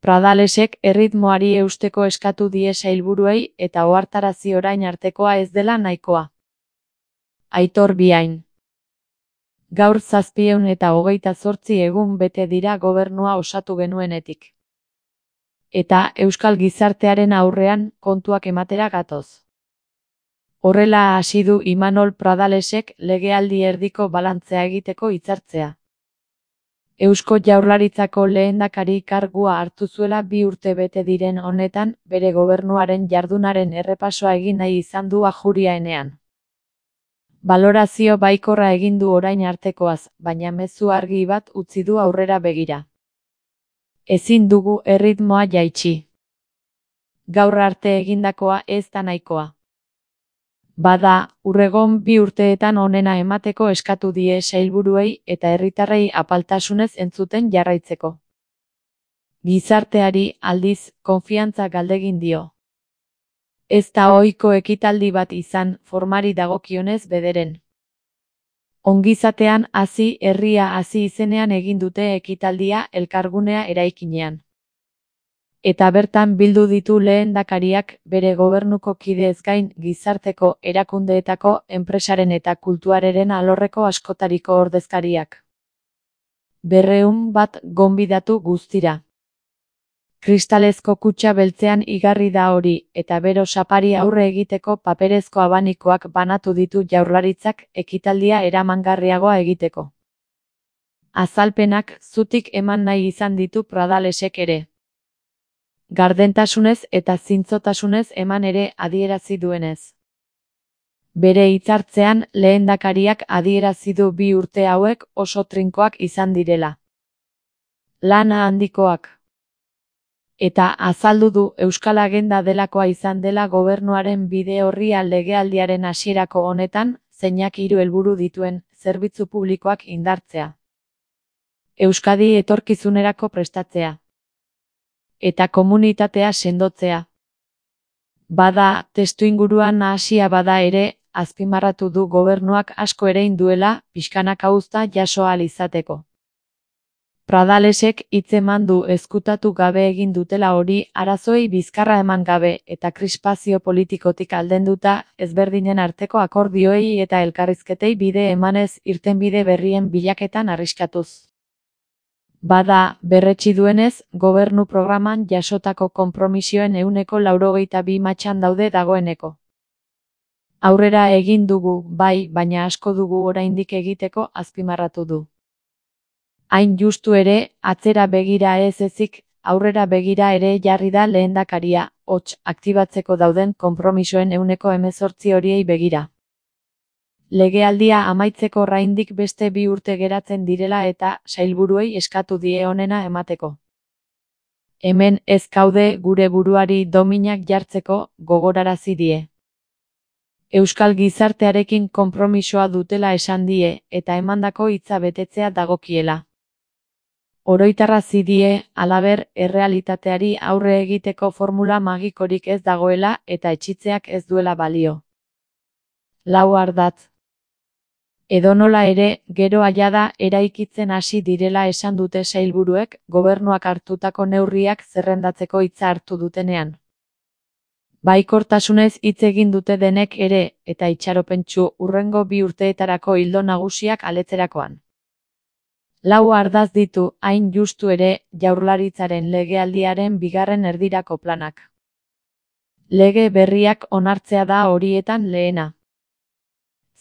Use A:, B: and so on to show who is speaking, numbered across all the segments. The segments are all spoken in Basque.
A: Pradalesek erritmoari eusteko eskatu die sailburuei eta ohartarazi orain artekoa ez dela nahikoa. Aitor Biain. Gaur 728 egun bete dira gobernua osatu genuenetik. Eta euskal gizartearen aurrean kontuak ematera gatoz. Horrela hasi du Imanol Pradalesek legealdi erdiko balantzea egiteko hitzartzea. Eusko Jaurlaritzako lehendakari kargua hartu zuela 2 urte bete diren honetan, bere gobernuaren jardunaren errepasoa egin nahi izan du Ajuria enean. Balorazio baikorra egin du orain artekoaz, baina mezu argi bat utzi du aurrera begira. Ezin dugu erritmoa jaitsi. Gaur arte egindakoa ez da nahikoa. Bada, urregon 2 urteetan onena emateko eskatu die sailburuei eta herritarrei apaltasunez entzuten jarraitzeko. Gizarteari, aldiz, konfiantza galdegin dio. Ez da ohiko ekitaldi bat izan, formari dagokionez bederen. Ongizatean hazi, herria hazi izenean egin dute ekitaldia Elkargunea eraikinean. Eta bertan bildu ditu lehendakariak bere gobernuko kideez gain gizarteko erakundeetako enpresaren eta kulturaren alorreko askotariko ordezkariak. 200 bat gonbidatu guztira. Kristalezko kutxa beltzean igarri da hori, eta bero sapari aurre egiteko paperezko abanikoak banatu ditu Jaurlaritzak ekitaldia eramangarriagoa egiteko. Azalpenak zutik eman nahi izan ditu Pradalesek ere. Gardentasunez eta zintzotasunez eman ere adierazi duenez. Bere hitzartzean lehendakariak adierazi du 2 urte hauek oso trinkoak izan direla. Lana handikoak. Eta azaldu du Euskal Agenda delakoa izan dela gobernuaren bide orria legealdiaren hasierako honetan, zeinak 3 helburu dituen, zerbitzu publikoak indartzea. Euskadi etorkizunerako prestatzea. Eta komunitatea sendotzea. Bada, testuinguruan nahasia bada ere, azpimarratu du gobernuak asko erein duela, pixkanaka uzta jaso ahal izateko. Pradalesek hitzeman du ezkutatu gabe egin dutela hori arazoei bizkarra eman gabe eta krispazio politikotik aldenduta ezberdinen arteko akordioei eta elkarrizketei bide emanez irtenbide berrien bilaketan arriskatuz. Bada, berretsi duenez, gobernu programan jasotako konpromisioen 92 matxan daude dagoeneko. Aurrera egin dugu, bai, baina asko dugu oraindik egiteko azpimarratu du. Hain justu ere, atzera begira ez ezik, aurrera begira ere jarri da lehendakaria, hots aktibatzeko dauden konpromisoen 18 horiei begira. Legealdia amaitzeko oraindik beste 2 urte geratzen direla eta sailburuei eskatu die onena emateko. Hemen ez gaude gure buruari dominak jartzeko gogorarazi die. Euskal gizartearekin konpromisoa dutela esan die eta emandako hitza betetzea dagokiela. Oroitarazi die, halaber, errealitateari aurre egiteko formula magikorik ez dagoela eta etxitzeak ez duela balio. 4 ardatz. Edonola ere, gero jada eraikitzen hasi direla esan dute sailburuek, gobernuak hartutako neurriak zerrendatzeko hitza hartu dutenean. Baikortasunez hitz egin dute denek ere, eta itxaropentsu hurrengo 2 urteetarako ildo nagusiak aletzerakoan. 4 ardatz ditu, hain justu ere, Jaurlaritzaren legealdiaren 2. erdirako planak. Lege berriak onartzea da horietan lehena.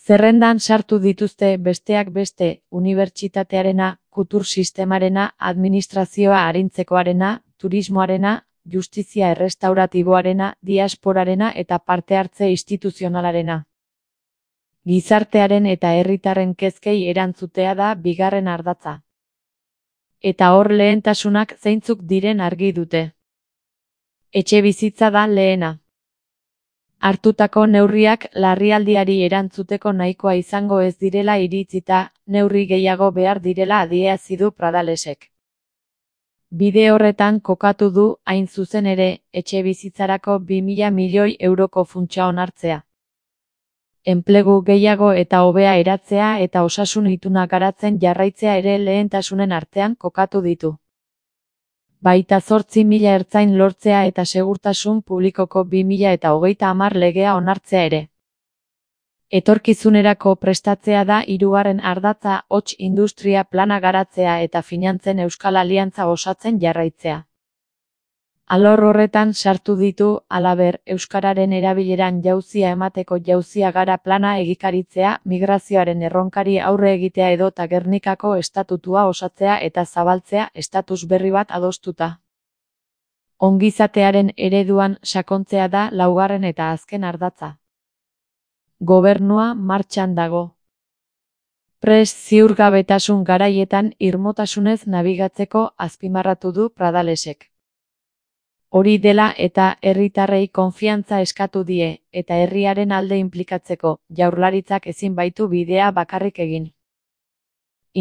A: Zerrendan sartu dituzte besteak beste, unibertsitatearena, kultur sistemarena, administrazioa arintzekoarena, turismoarena, justizia errestauratiboarena, diasporarena eta parte hartze instituzionalarena. Gizartearen eta herritarren kezkei erantzutea da 2. ardatza. Eta hor lehentasunak zeintzuk diren argi dute. Etxebizitza da lehena. Hartutako neurriak larrialdiari erantzuteko nahikoa izango ez direla iritzita, neurri gehiago behar direla adierazi du Pradalesek. Bide horretan kokatu du, hain zuzen ere, etxebizitzarako 2000 milioi euroko funtsa onartzea. Enplegu gehiago eta hobea eratzea eta osasun ituna garatzen jarraitzea ere lehentasunen artean kokatu ditu. Baita 8.000 ertzain lortzea eta segurtasun publikoko 2030 legea onartzea ere. Etorkizunerako prestatzea da hirugarren ardatza, hots industria plana garatzea eta finantzen Euskal Aliantza osatzen jarraitzea. Alor horretan sartu ditu, halaber, euskararen erabileran jauzia emateko jauzia gara plana egikaritzea, migrazioaren erronkari aurre egitea edota Gernikako estatutua osatzea eta zabaltzea estatus berri bat adostuta. Ongizatearen ereduan sakontzea da laugarren eta azken ardatza. Gobernua martxan dago. Prest ziurgabetasun garaietan irmotasunez nabigatzeko azpimarratu du Pradalesek. Hori dela eta herritarrei konfiantza eskatu die, eta herriaren alde inplikatzeko, jaurlaritzak ezin baitu bidea bakarrik egin.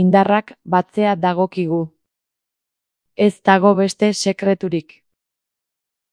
A: Indarrak batzea dagokigu. Ez dago beste sekreturik.